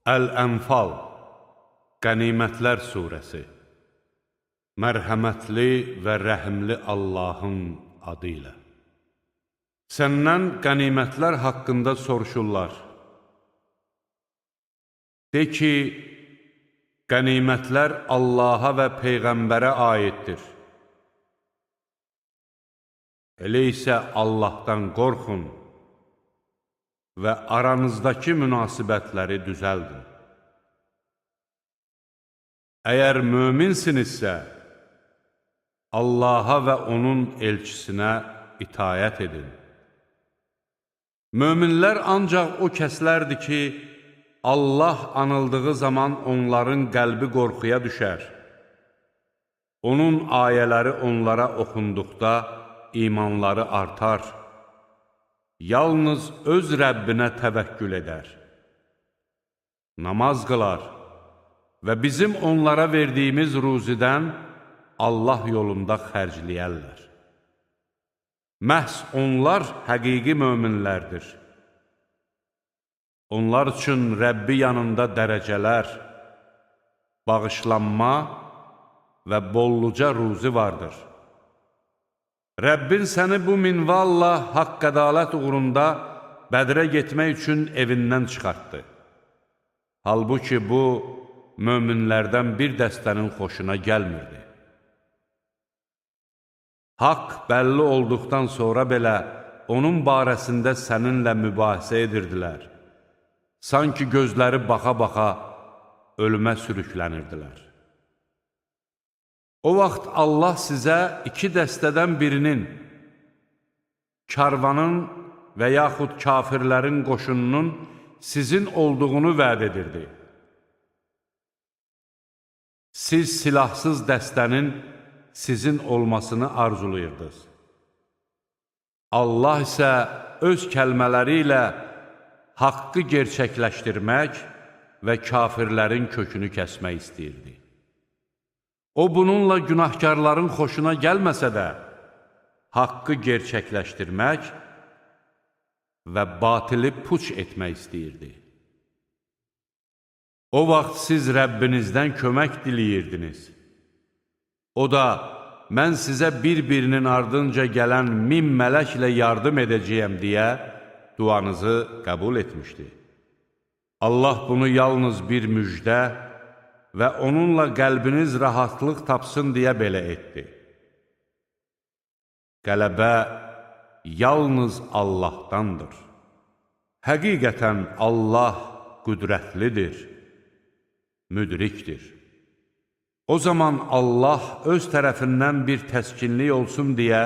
Əl-Ənfal, Qənimətlər Suresi. Mərhəmətli və rəhimli Allahın adı ilə. Səndən qənimətlər haqqında soruşurlar. De ki, qənimətlər Allaha və Peyğəmbərə aiddir. Elə isə Allahdan qorxun və aranızdakı münasibətləri düzəldin. Əgər möminsinizsə, Allaha və onun elçisinə itayət edin. Möminlər ancaq o kəslərdir ki, Allah anıldığı zaman onların qəlbi qorxuya düşər. Onun ayələri onlara oxunduqda imanları artar. Yalnız öz Rəbbinə təvəkkül edər. Namaz qılar və bizim onlara verdiyimiz ruzidən Allah yolunda xərcləyərlər. Məhz onlar həqiqi möminlərdir. Onlar üçün Rəbbi yanında dərəcələr, bağışlanma və bolluca ruzi vardır. Rəbbin səni bu minvalla haqq ədalət uğrunda Bədrə getmək üçün evindən çıxartdı. Halbuki bu, möminlərdən bir dəstənin xoşuna gəlmirdi. Haqq bəlli olduqdan sonra belə onun barəsində səninlə mübahisə edirdilər. Sanki gözləri baxa-baxa ölümə sürüklənirdilər. O vaxt Allah sizə iki dəstədən birinin, karvanın və yaxud kafirlərin qoşununun sizin olduğunu vəd edirdi. Siz silahsız dəstənin sizin olmasını arzulayırdınız. Allah isə öz kəlmələri ilə haqqı gerçəkləşdirmək və kafirlərin kökünü kəsmək istəyirdi. O, bununla günahkarların xoşuna gəlməsə də, haqqı gerçəkləşdirmək və batili puç etmək istəyirdi. O vaxt siz Rəbbinizdən kömək diləyirdiniz. O da, mən sizə bir-birinin ardınca gələn 1000 mələklə yardım edəcəyəm deyə duanızı qəbul etmişdi. Allah bunu yalnız bir müjdə və onunla qəlbiniz rahatlıq tapsın deyə belə etdi. Qələbə yalnız Allahdandır. Həqiqətən Allah qüdrətlidir, müdrikdir. O zaman Allah öz tərəfindən bir təskinlik olsun deyə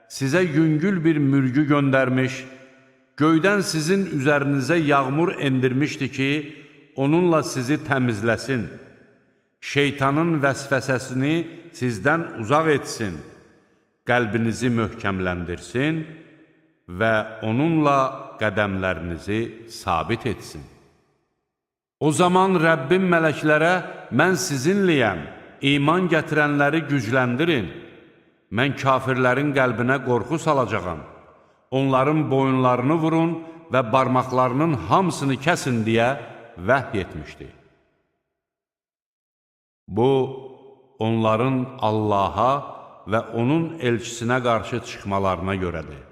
sizə yüngül bir mürgü göndərmiş, göydən sizin üzərinizə yağmur endirmişdi ki, onunla sizi təmizləsin. Şeytanın vəsvəsəsini sizdən uzaq etsin, qəlbinizi möhkəmləndirsin və onunla qədəmlərinizi sabit etsin. O zaman Rəbbim mələklərə, mən sizinliyəm, iman gətirənləri gücləndirin, mən kafirlərin qəlbinə qorxu salacağam, onların boyunlarını vurun və barmaqlarının hamısını kəsin deyə vəhy etmişdi. Bu, onların Allaha və onun elçisinə qarşı çıxmalarına görədir.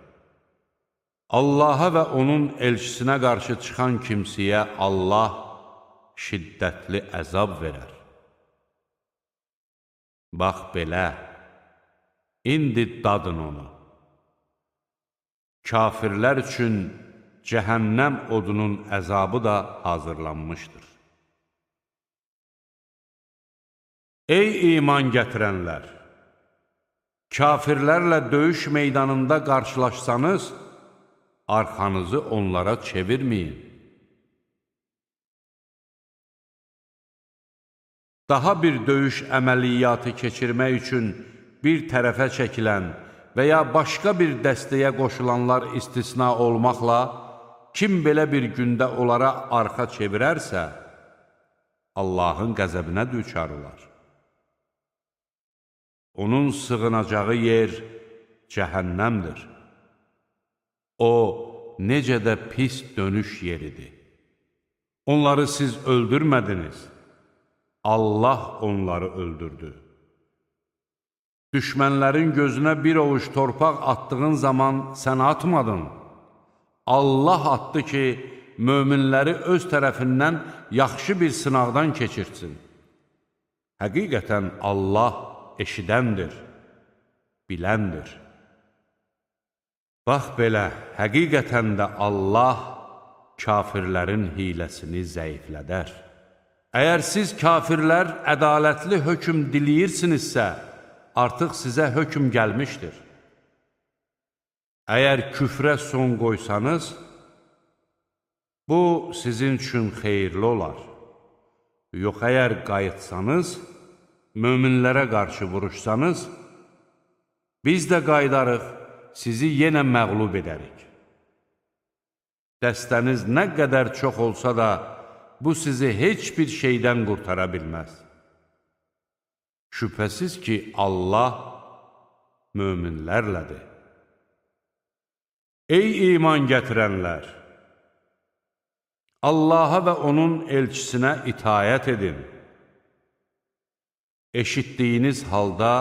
Allaha və onun elçisinə qarşı çıxan kimsəyə Allah şiddətli əzab verər. Bax belə, indi dadın onu. Kafirlər üçün cəhənnəm odunun əzabı da hazırlanmışdır. Ey iman gətirənlər! Kafirlərlə döyüş meydanında qarşılaşsanız, arxanızı onlara çevirməyin. Daha bir döyüş əməliyyatı keçirmək üçün bir tərəfə çəkilən və ya başqa bir dəstəyə qoşulanlar istisna olmaqla, kim belə bir gündə onlara arxa çevirərsə, Allahın qəzəbinə düçar olar. Onun sığınacağı yer cəhənnəmdir. O, necə də pis dönüş yeridir. Onları siz öldürmədiniz. Allah onları öldürdü. Düşmənlərin gözünə bir ovuc torpaq attığın zaman sən atmadın. Allah atdı ki, möminləri öz tərəfindən yaxşı bir sınaqdan keçirtsin. Həqiqətən Allah eşidəndir, biləndir. Bax belə, həqiqətən də Allah kafirlərin hiləsini zəiflədər. Əgər siz kafirlər ədalətli hökm diləyirsinizsə, artıq sizə hökm gəlmişdir. Əgər küfrə son qoysanız, bu sizin üçün xeyirli olar. Yox, əgər qayıtsanız, möminlərə qarşı vuruşsanız, biz də qayıdarıq, sizi yenə məğlub edərik. Dəstəniz nə qədər çox olsa da, bu sizi heç bir şeydən qurtara bilməz. Şübhəsiz ki, Allah möminlərlədir. Ey iman gətirənlər! Allaha və onun elçisinə itayət edin. Eşitdiyiniz halda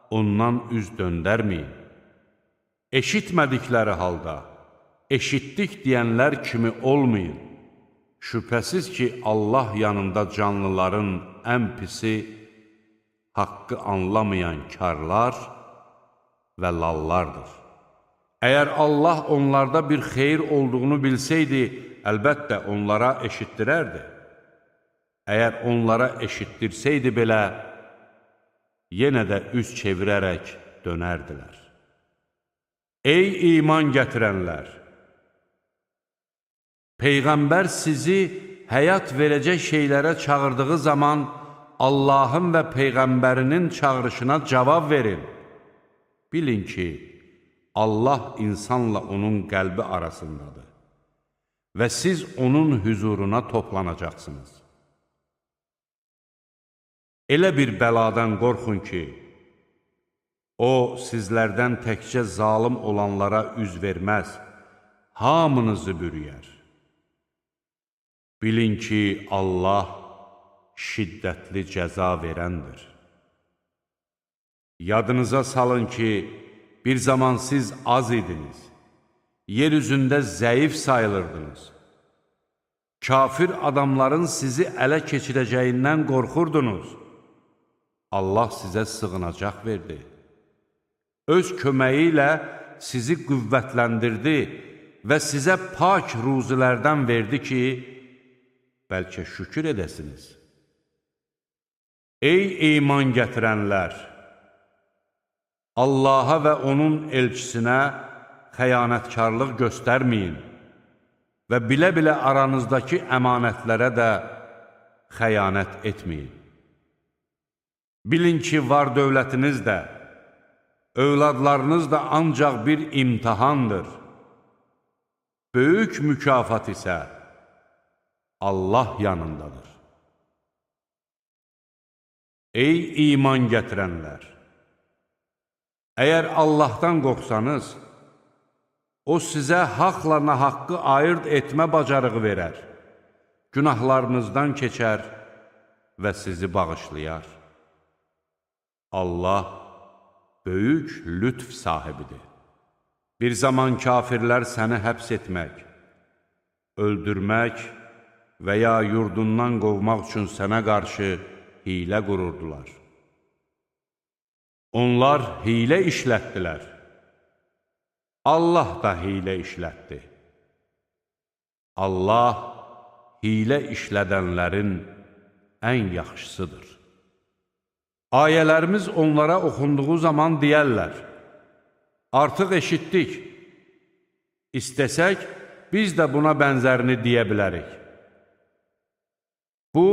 ondan üz döndərməyin. Eşitmədikləri halda eşitdik deyənlər kimi olmayın. Şübhəsiz ki, Allah yanında canlıların ən pisi haqqı anlamayan karlar və lallardır. Əgər Allah onlarda bir xeyir olduğunu bilsəydi, əlbəttə onlara eşitdirərdi. Əgər onlara eşitdirsəydi belə, yenə də üz çevirərək dönərdilər. Ey iman gətirənlər! Peyğəmbər sizi həyat verəcək şeylərə çağırdığı zaman Allahın və Peyğəmbərinin çağırışına cavab verin. Bilin ki, Allah insanla onun qəlbi arasındadır və siz onun hüzuruna toplanacaqsınız. Elə bir bəladan qorxun ki, o sizlərdən təkcə zalım olanlara üz verməz, hamınızı bürüyər. Bilin ki, Allah şiddətli cəza verəndir. Yadınıza salın ki, bir zaman siz az idiniz, yer üzündə zəif sayılırdınız. Kafir adamların sizi ələ keçirəcəyindən qorxurdunuz. Allah sizə sığınacaq verdi. Öz köməyi ilə sizi qüvvətləndirdi və sizə pak ruzilərdən verdi ki, bəlkə şükür edəsiniz. Ey iman gətirənlər! Allaha və onun elçisinə xəyanətkarlıq göstərməyin və bilə-bilə aranızdakı əmanətlərə də xəyanət etməyin. Bilin ki, var dövlətiniz də, övladlarınız da ancaq bir imtihandır. Böyük mükafat isə Allah yanındadır. Ey iman gətirənlər! Əgər Allahdan qorxsanız, o sizə haqla nahaqqı ayırt etmə bacarığı verər, günahlarınızdan keçər və sizi bağışlayar. Allah böyük lütf sahibidir. Bir zaman kafirlər səni həbs etmək, öldürmək və ya yurdundan qovmaq üçün sənə qarşı hilə qururdular. Onlar hilə işlətdilər. Allah da hilə işlətdi. Allah hilə işlədənlərin ən yaxşısıdır. Ayələrimiz onlara oxunduğu zaman deyərlər, artıq eşitdik, istəsək, biz də buna bənzərini deyə bilərik. Bu,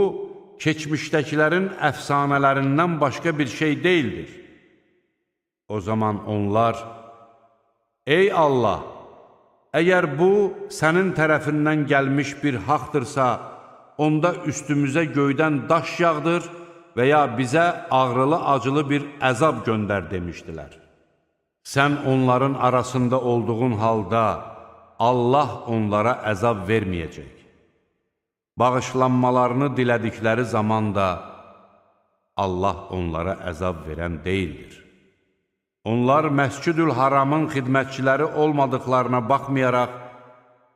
keçmişdəkilərin əfsanələrindən başqa bir şey deyildir. O zaman onlar, ey Allah, əgər bu, sənin tərəfindən gəlmiş bir haqdırsa, onda üstümüzə göydən daş yağdır və ya bizə ağrılı-acılı bir əzab göndər demişdilər. Sən onların arasında olduğun halda Allah onlara əzab verməyəcək. bağışlanmalarını dilədikləri zaman da Allah onlara əzab verən deyildir. Onlar Məscid-ül Haramın xidmətçiləri olmadıqlarına baxmayaraq,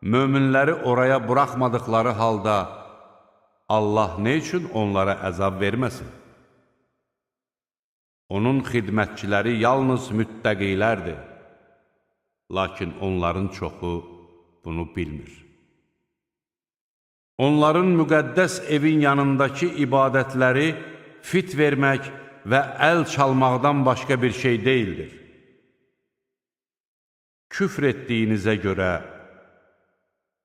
möminləri oraya buraxmadıqları halda Allah nə üçün onlara əzab verməsin? Onun xidmətçiləri yalnız müttəqilərdir, lakin onların çoxu bunu bilmir. Onların müqəddəs evin yanındakı ibadətləri fit vermək və əl çalmaqdan başqa bir şey deyildir. Küfr etdiyinizə görə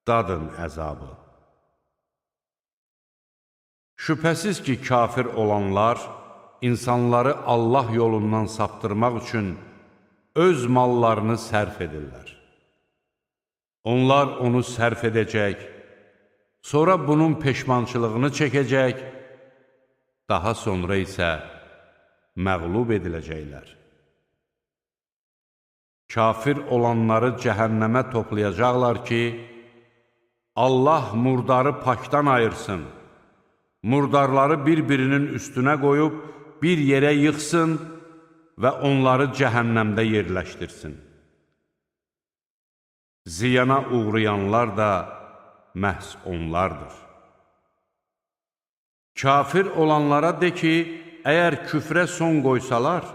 dadın əzabı. Şübhəsiz ki, kafir olanlar insanları Allah yolundan saptırmaq üçün öz mallarını sərf edirlər. Onlar onu sərf edəcək, sonra bunun peşmançılığını çəkəcək, daha sonra isə məğlub ediləcəklər. Kafir olanları cəhənnəmə toplayacaqlar ki, Allah murdarı pakdan ayırsın, murdarları bir-birinin üstünə qoyub bir yerə yıxsın və onları cəhənnəmdə yerləşdirsin. Ziyana uğrayanlar da məhz onlardır. Kafir olanlara de ki, əgər küfrə son qoysalar,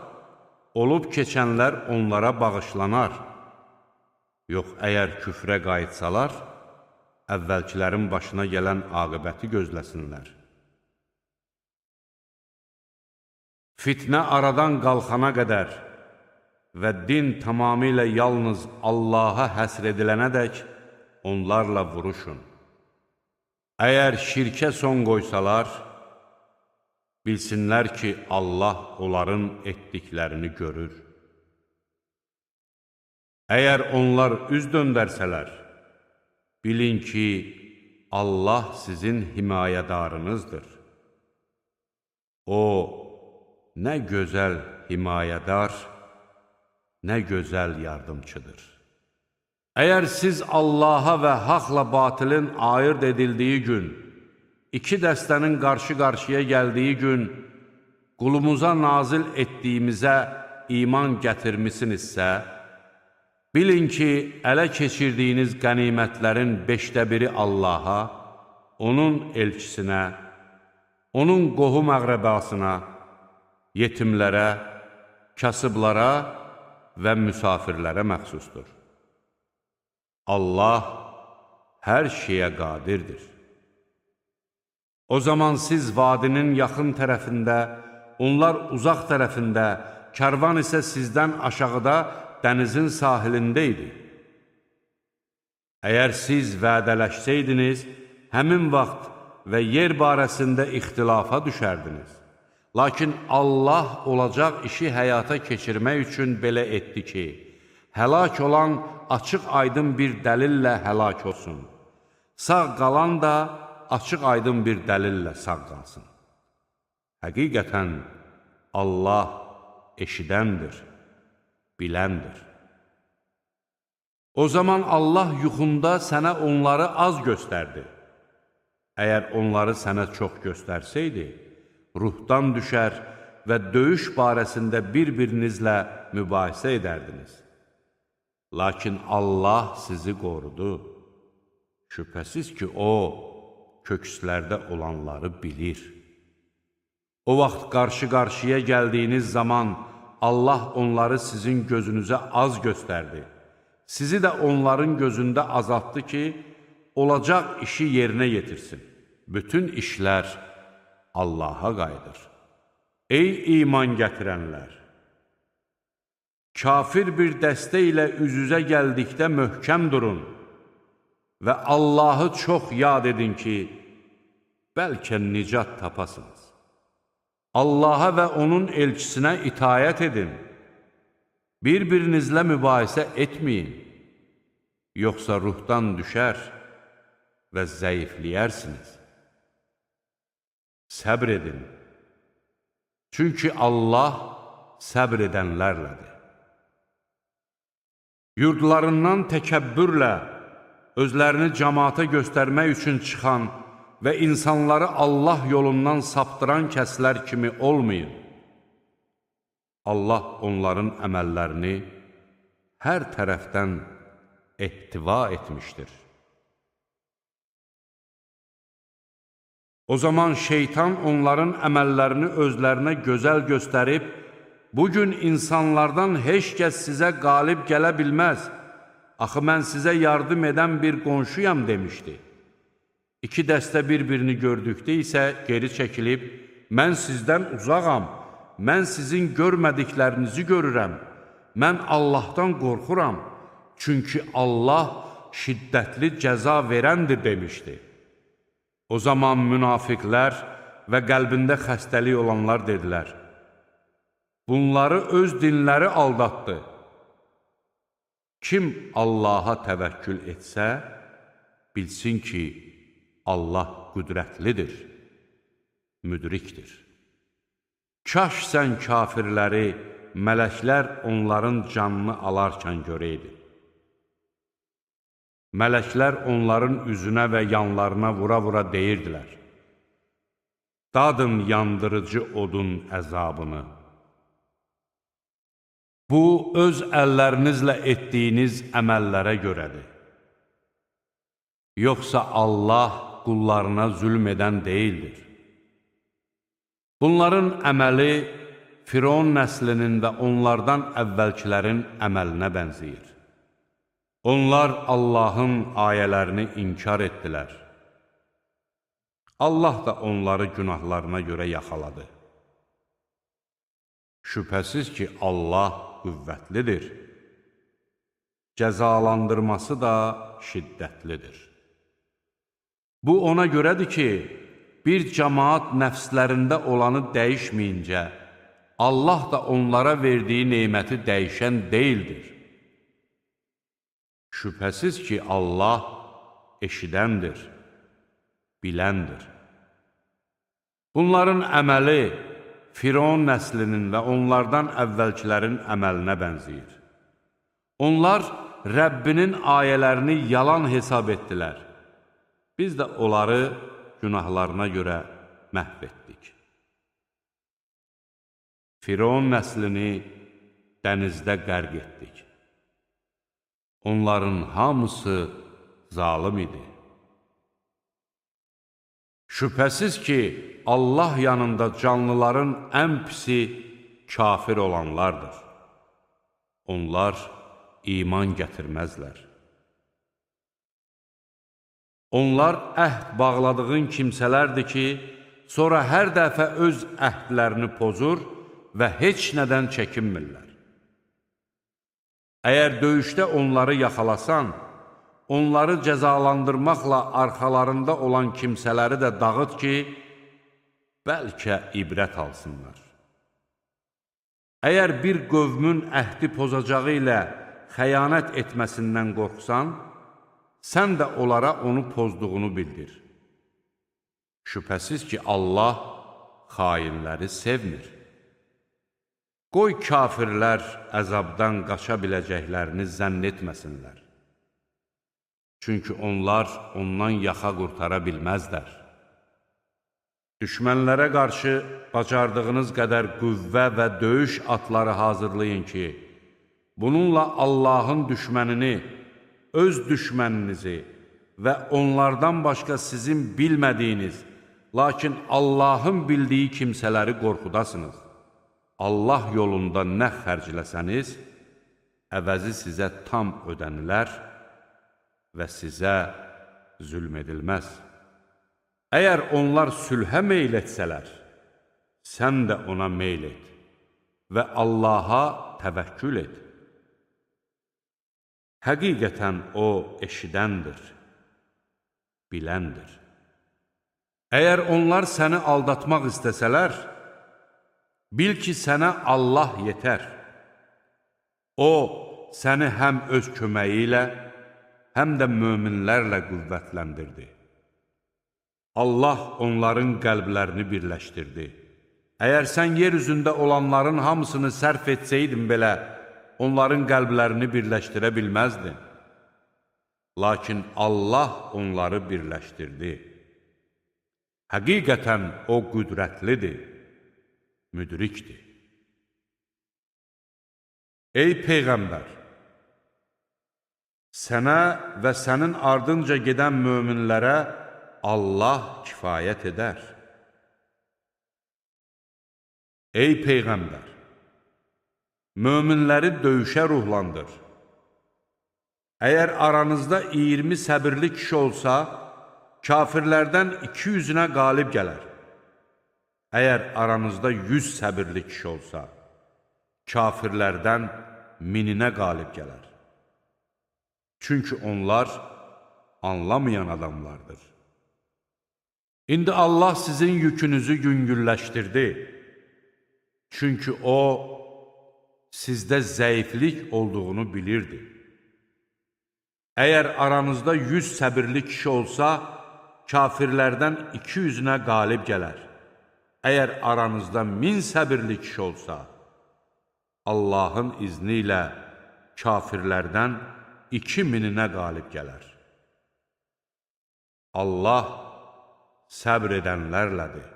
olub keçənlər onlara bağışlanar. Yox, əgər küfrə qayıtsalar, əvvəlkilərin başına gələn aqibəti gözləsinlər. Fitnə aradan qalxana qədər və din tamamilə yalnız Allaha həsr edilənədək onlarla vuruşun. Əgər şirkə son qoysalar, bilsinlər ki, Allah onların etdiklərini görür. Əgər onlar üz döndərsələr, bilin ki, Allah sizin himayədarınızdır. O, nə gözəl himayədar, nə gözəl yardımçıdır. Əgər siz Allaha və haqla batilin ayırt edildiyi gün, iki dəstənin qarşı-qarşıya gəldiyi gün, qulumuza nazil etdiyimizə iman gətirmisinizsə, bilin ki, ələ keçirdiyiniz qənimətlərin 5/1 Allaha, onun elçisinə, onun qohum-əqrəbasına, yetimlərə, kasıblara və müsafirlərə məxsusdur. Allah hər şeyə qadirdir. O zaman siz vadinin yaxın tərəfində, onlar uzaq tərəfində, kərvan isə sizdən aşağıda dənizin sahilində idi. Əgər siz vədələşsəydiniz, həmin vaxt və yer barəsində ixtilafa düşərdiniz. Lakin Allah olacaq işi həyata keçirmək üçün belə etdi ki, həlak olan açıq-aydın bir dəlillə həlak olsun. Sağ qalan da açıq-aydın bir dəlillə sağ qalsın. Həqiqətən Allah eşidəndir, biləndir. O zaman Allah yuxunda sənə onları az göstərdi. Əgər onları sənə çox göstərsəydi, ruhdan düşər və döyüş barəsində bir-birinizlə mübahisə edərdiniz. Lakin Allah sizi qorudu. Şübhəsiz ki, O, kökslərdə olanları bilir. O vaxt qarşı-qarşıya gəldiyiniz zaman Allah onları sizin gözünüzə az göstərdi. Sizi də onların gözündə azaltdı ki, olacaq işi yerinə yetirsin. Bütün işlər Allaha qayıdır. Ey iman gətirənlər! Kafir bir dəstə ilə üz-üzə gəldikdə möhkəm durun və Allahı çox yad edin ki, bəlkə nicat tapasınız. Allaha və onun elçisinə itayət edin. Bir-birinizlə mübahisə etməyin, yoxsa ruhdan düşər və zəifləyərsiniz. Səbr edin, çünki Allah səbr edənlərlədir. Yurdlarından təkəbbürlə, özlərini cəmaata göstərmək üçün çıxan və insanları Allah yolundan saptıran kəslər kimi olmayın. Allah onların əməllərini hər tərəfdən ehtiva etmişdir. O zaman şeytan onların əməllərini özlərinə gözəl göstərib, bugün insanlardan heç kəs sizə qalib gələ bilməz, axı mən sizə yardım edən bir qonşuyam demişdi. İki dəstə bir-birini gördükdə isə geri çəkilib, mən sizdən uzağam, mən sizin görmədiklərinizi görürəm, mən Allahdan qorxuram, çünki Allah şiddətli cəza verəndir demişdi. O zaman münafiqlər və qəlbində xəstəlik olanlar dedilər, bunları öz dinləri aldatdı. Kim Allaha təvəkkül etsə, bilsin ki, Allah qüdrətlidir, müdrikdir. Kaş sən kafirləri, mələklər onların canını alarkən görəydi. Mələklər onların üzünə və yanlarına vura-vura deyirdilər, dadın yandırıcı odun əzabını. Bu, öz əllərinizlə etdiyiniz əməllərə görədir. Yoxsa Allah qullarına zülm edən deyildir. Bunların əməli Firon nəslinin və onlardan əvvəlkilərin əməlinə bənzəyir. Onlar Allahın ayələrini inkar etdilər. Allah da onları günahlarına görə yaxaladı. Şübhəsiz ki, Allah qüvvətlidir. Cəzalandırması da şiddətlidir. Bu ona görədir ki, bir cəmaat nəfslərində olanı dəyişməyincə, Allah da onlara verdiyi neməti dəyişən deyildir. Şübhəsiz ki, Allah eşidəndir, biləndir. Bunların əməli Firon nəslinin və onlardan əvvəlkilərin əməlinə bənzəyir. Onlar Rəbbinin ayələrini yalan hesab etdilər. Biz də onları günahlarına görə məhv etdik. Firon nəslini dənizdə qərq etdik. Onların hamısı zalım idi. Şübhəsiz ki, Allah yanında canlıların ən pisi kafir olanlardır. Onlar iman gətirməzlər. Onlar əhd bağladığın kimsələrdir ki, sonra hər dəfə öz əhdlərini pozur və heç nədən çəkinmirlər. Əgər döyüşdə onları yaxalasan, onları cəzalandırmaqla arxalarında olan kimsələri də dağıt ki, bəlkə ibrət alsınlar. Əgər bir qövmün əhdi pozacağı ilə xəyanət etməsindən qorxsan, sən də onlara onu pozduğunu bildir. Şübhəsiz ki, Allah xainləri sevmir. Qoy kafirlər əzabdan qaça biləcəklərini zənn etməsinlər. Çünki onlar ondan yaxa qurtara bilməzlər. Düşmənlərə qarşı bacardığınız qədər qüvvə və döyüş atları hazırlayın ki, bununla Allahın düşmənini, öz düşməninizi və onlardan başqa sizin bilmədiyiniz, lakin Allahın bildiyi kimsələri qorxudasınız. Allah yolunda nə xərcləsəniz, əvəzi sizə tam ödənilər və sizə zülm edilməz. Əgər onlar sülhə meyl etsələr, sən də ona meyl et və Allaha təvəkkül et. Həqiqətən O eşidəndir, biləndir. Əgər onlar səni aldatmaq istəsələr, bil ki, sənə Allah yetər. O, səni həm öz köməyi ilə, həm də möminlərlə qüvvətləndirdi. Allah onların qəlblərini birləşdirdi. Əgər sən yer üzündə olanların hamısını sərf etsəydin belə, onların qəlblərini birləşdirə bilməzdin. Lakin Allah onları birləşdirdi. Həqiqətən o qüdrətlidir, müdrikdir. Ey Peyğəmbər! Sənə və sənin ardınca gedən möminlərə Allah kifayət edər. Ey Peyğəmbər! Möminləri döyüşə ruhlandır. Əgər aranızda 20 səbirli kişi olsa, kafirlərdən 200-ünə qalib gələr. Əgər aranızda 100 səbirli kişi olsa, kafirlərdən 1000-inə qalib gələr. Çünki onlar anlamayan adamlardır. İndi Allah sizin yükünüzü yüngülləşdirdi. Çünki O, sizdə zəiflik olduğunu bilirdi. Əgər aranızda 100 səbirli kişi olsa, kafirlərdən 200-ünə qalib gələr. Əgər aranızda 1000 səbirli kişi olsa, Allahın izni ilə kafirlərdən 2000-inə qalib gələr. Allah səbr edənlərlədir.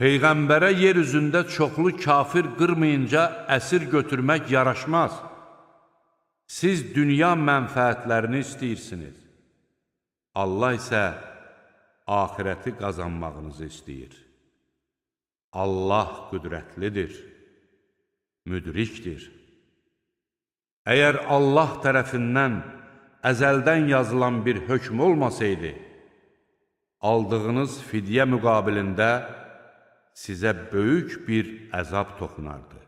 Peyğəmbərə yer üzündə çoxlu kafir qırmayınca əsir götürmək yaraşmaz. Siz dünya mənfəətlərini istəyirsiniz. Allah isə axirəti qazanmağınızı istəyir. Allah qüdrətlidir, müdrikdir. Əgər Allah tərəfindən əzəldən yazılan bir hökm olmasaydı, aldığınız fidyə müqabilində sizə böyük bir əzab toxunardı.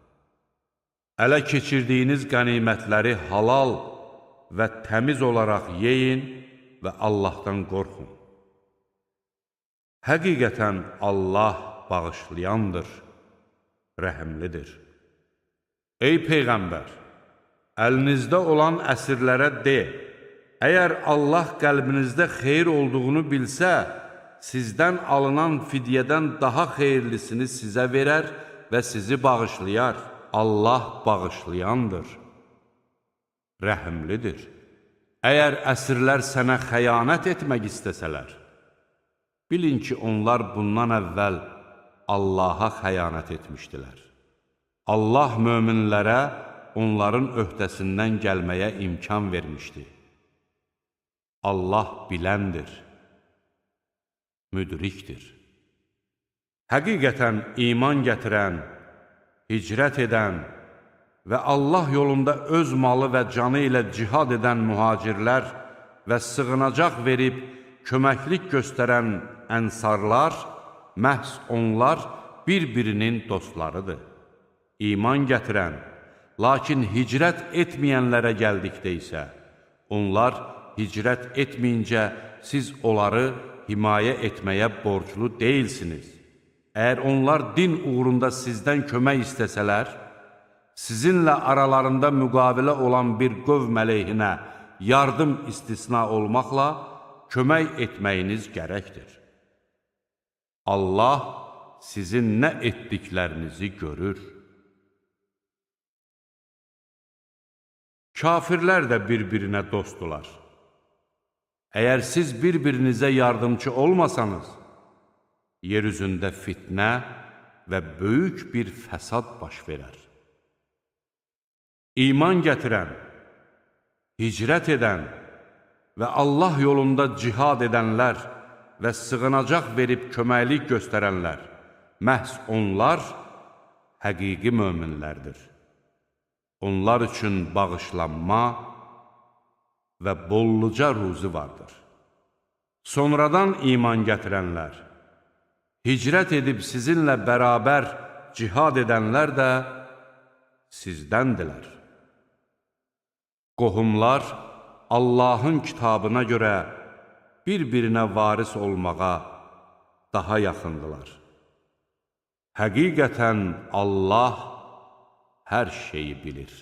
Ələ keçirdiyiniz qənimətləri halal və təmiz olaraq yeyin və Allahdan qorxun. Həqiqətən Allah bağışlayandır, rəhimlidir. Ey Peyğəmbər! Əlinizdə olan əsirlərə de, əgər Allah qəlbinizdə xeyir olduğunu bilsə, sizdən alınan fidyədən daha xeyirlisini sizə verər və sizi bağışlayar. Allah bağışlayandır, rəhimlidir. Əgər əsirlər sənə xəyanət etmək istəsələr, bilin ki, onlar bundan əvvəl Allaha xəyanət etmişdilər. Allah möminlərə onların öhdəsindən gəlməyə imkan vermişdi. Allah biləndir, müdrikdir. Həqiqətən iman gətirən, hicrət edən və Allah yolunda öz malı və canı ilə cihad edən mühacirlər və sığınacaq verib köməklik göstərən ənsarlar, məhz onlar bir-birinin dostlarıdır. İman gətirən, lakin hicrət etməyənlərə gəldikdə isə, onlar hicrət etməyincə siz onları himayə etməyə borclu deyilsiniz. Əgər onlar din uğrunda sizdən kömək istəsələr, sizinlə aralarında müqavilə olan bir qövm əleyhinə yardım istisna olmaqla kömək etməyiniz gərəkdir. Allah sizin nə etdiklərinizi görür. Kafirlər də bir-birinə dostdular. Əgər siz bir-birinizə yardımcı olmasanız, yer üzündə fitnə və böyük bir fəsad baş verər. İman gətirən, hicrət edən və Allah yolunda cihad edənlər və sığınacaq verib köməklik göstərənlər, məhz onlar həqiqi möminlərdir. Onlar üçün bağışlanma və bolluca ruzi vardır. Sonradan iman gətirənlər, hicrət edib sizinlə bərabər cihad edənlər də sizdəndilər. Qohumlar Allahın kitabına görə bir-birinə varis olmağa daha yaxındılar. Həqiqətən Allah hər şeyi bilir.